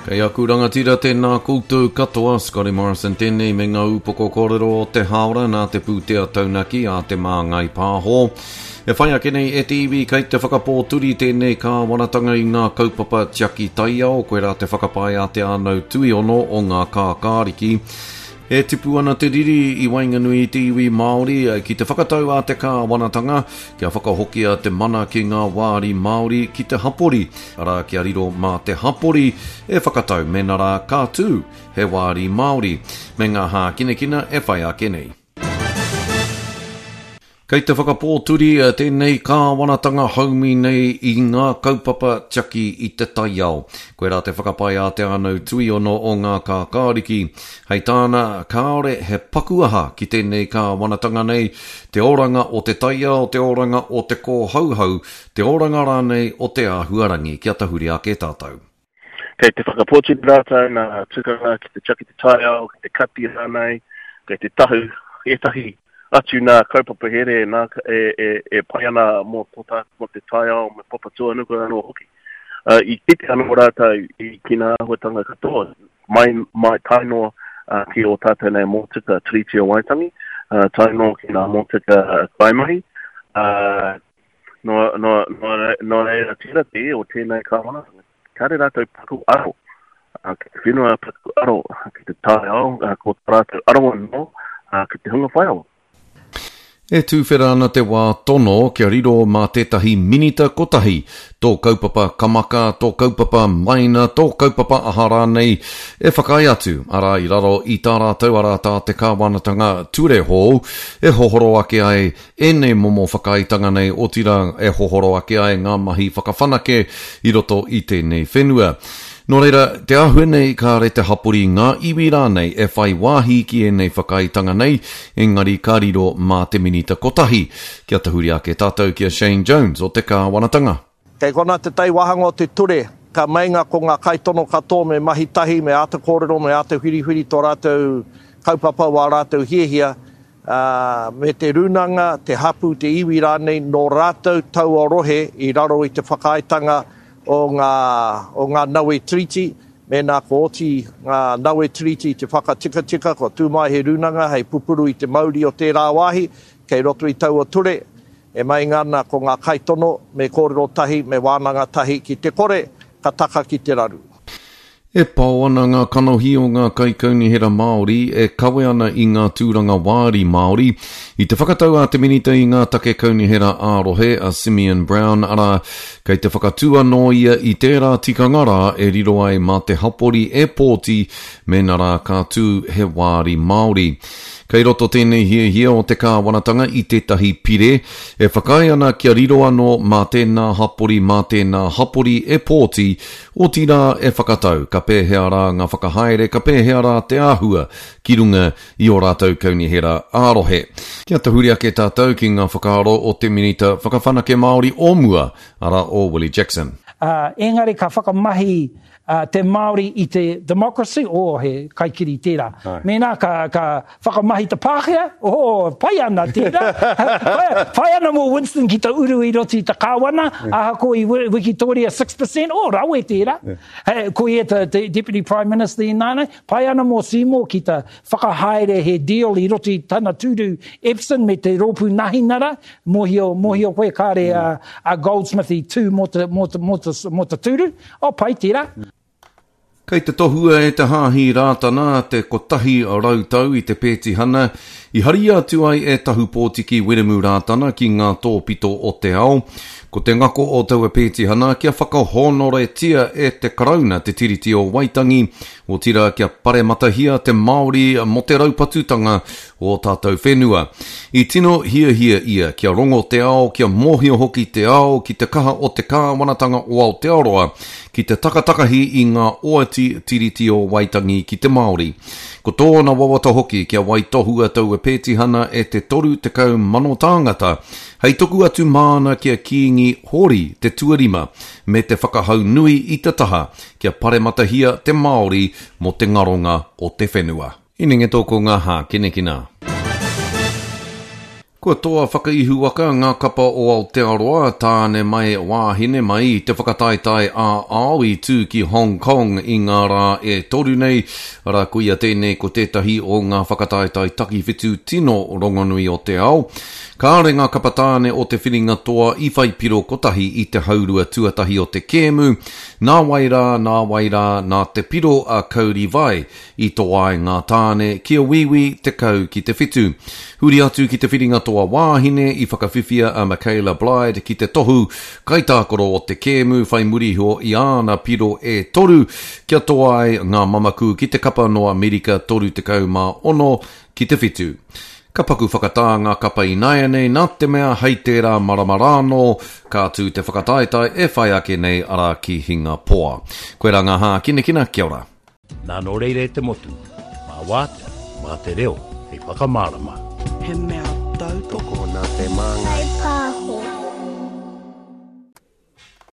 Kei aku rangatira tēnā koutou katoa, Scotty Morrison tēnei me ngā upoko kōrero o te hāora nā te pūtea taunaki a Te Māngai Pāho. E whai ake nei e te iwi kei te whakapōturi tēnei kāwanatanga i ngā kaupapa tiaki taiao, koirā te whakapae a Te Ānau Tuiono o ngā Kākāriki. E tipu ana te riri i waenganui i te iwi Māori ki te whakatau a te kāwanatanga kia whakahokia te mana ki ngā wāri Māori ki te hapori, arā kia riro mā te hapori e whakatau mēnā rā ka tū he wāri Māori, me ngā hākinakina e whai ake nei. Kei te whakapōturi tēnei kāwanatanga haumi nei i ngā kaupapa tiaki i te taiao. Koirā te whakapae a Te Ānau Tuiono o Ngā Kākāriki. Hei tāna, kāore he paku aha ki tēnei kāwanatanga nei, te oranga o te taiao, te oranga o te kōhauhau, te oranga rānei o te āhuarangi. Kia tahuri ake tātou. Kei te whakapōturi rātou nā tukanga ki te tiaki te taiao, ki te kati rānei, kei te tahu ētahi atu nā kaupapa here nā, e, e, e pai ana mō, tō tā, mō te taiao me Papatūānuku anō hoki. Uh, I kite anō rātou i ki ngā āhuatanga katoa, mai, mai tae noa uh, ki ō tātou nei mōtika Tiriti o Waitangi, uh, tae noa ki ngā mōtika kaimahi, uh, Nō, nō, nō, nō reira tērā te o tēnei kāwanatanga. Kāre rātou paku aro ki te whenua, paku aro ki te taiao, ko tā rātou aro anō ki te hunga whaiawa. E tuwhera ana te wā tono kia riro mā tētahi minita kotahi tō kaupapa kamaka, tō kaupapa maina, tō kaupapa aha rānei e whakaae atu, arā i raro i tā rātou, arā tā te kāwanatanga ture hou e hohoro ake ai ēnei momo whakaaetanga nei, otirā e hohoro ake ai ngā mahi whakawhanake i roto i tēnei whenua. Nō reira, te āhua nei kāre te hapori, ngā iwi rānei e whai wāhi ki ēnei whakaaetanga nei, engari ka riro mā te minita kotahi. Kia tahuri ake tātou ki a Shane Jones o te kāwanatanga. Kei konā te tai wāhanga o te ture, ka meinga ko ngā kaitono katoa me mahi tahi, me āta kōrero, me āta whiriwhiri tō rātou kaupapa, wā rātou hiahia, ā, me te rūnanga, te hapū, te iwi rānei nō rātou taua rohe i raro i te whakaaetanga o ngā, o ngā nawe Tiriti, mēnā kua oti ngā nawe Tiriti te whakatikatika, kua tū mai he rūnanga hei pupuru i te mauri o tērā wāhi, kei roto i taua ture, e meinga ana ko ngā kaitono me kōrero tahi, me wānanga tahi, ki te kore, ka taka ki te raru. E pao ana ngā kanohi o ngā kaikaunihera Māori e kawe ana i ngā tūranga wāri Māori i te whakatau a te Minita i ngā Take Kaunihera ā-Rohe, a Simeon Brown, arā, kei te whakatū anō ia i tērā tikanga rā e riro ai mā te hapori e pōti mēnā rā ka tū he wāri Māori. Kei roto tēnei hiahia o te kāwanatanga i tētahi pire e whakaae ana kia riro anō mā tēnā hapori mā tēnā hapori e pōti Otirā e whakatau ka pēhea rā ngā whakahaere, ka pēhea rā te āhua ki runga i ō rātou kaunihera ā-rohe. Kia tahuri ake tātou ki ngā whakaaro o te Minita Whakawhanake Māori o mua, arā o Willie Jackson. Ā, engari ka whakamahi te Māori i te democracy, oh, he kaikiri tērā. Mēnā ka, ka whakamahi te Pākehā, oh, pai ana tērā. Pai, pai ana mō Winston ki te uru i roto i te kāwana, ahakoa i Wikitoria 6%, oh, rawe tērā. He, ko ia te, te Deputy Prime Minister ināianei, pai ana mō Seymour ki te whakahaere he deal i roto i tana tūru Epson me te rōpū Nahinara, mōhio, mōhio koe kāre a, a Goldsmith i tū mō te, mō te, mō te, mō te tūru, oh, pai tērā. Kei te tohua e te Hāhi Rātana te 100 tau i te pētihana i haria atu ai e Tahupōtiki Wiremu Rātana ki ngā tōpito o te ao. Ko te ngako o taua pētihana kia whakahōnoretia e te Karauna te Tiriti o Waitangi, otirā kia parematahia te Māori mō te raupatutanga o ō tātou whenua. I tino hiahia ia kia rongo te ao, kia mōhio hoki te ao ki te kaha o te kāwanatanga o Aotearoa ki te takatakahi i ngā oati Tiriti o Waitangi ki te Māori. Ko tōna wawata hoki kia waitohua taua pētihana e te 30,000 tāngata hei tuku atu māna ki a Kīngi Hōri te Tuarima me te whakahau nui i te taha kia parematahia te Māori mō te ngaronga o te whenua. Inenge tō ko ngā hākinakina. Kua toa whakaihuwaka ngā kapa o Aotearoa, tāne mai, wāhine mai, i te whakataetae ā-ao i tū ki Hong Kong i ngā rā e toru nei, arā, koia tēnei ko tētahi o ngā whakataetae takiwhitu tino rongonui o te ao. Kāore ngā kapa tāne o te whiringa toa i whai piro kotahi i te haurua tuatahi o te kēmu, nā wai rā, nā wai rā, nā te piro a Cody Vai I toa ai ngā tāne ki a Wīwī 10 ki te whitu. Huri atu ki te whiringa toa wāhine i whakawhiwhia a Michaela Blyde ki te tohu kaitākaro o te kēmu whai muri iho i āna piro e toru kia toa ai ngā mamaku ki te kapa nō Amerika 36 ki te whitu. Ka paku whakatā ngā kapa ināianei nā te mea hei tērā marama rānō ka tū te whakataetae e whai ake nei arā ki Hingapoa. Koirā ngā hākinakina, kia ora. Nā nō reira e te motu, mā Wātea, mā te reo hei whakamārama. He mea tautoko. Tokona te māngai.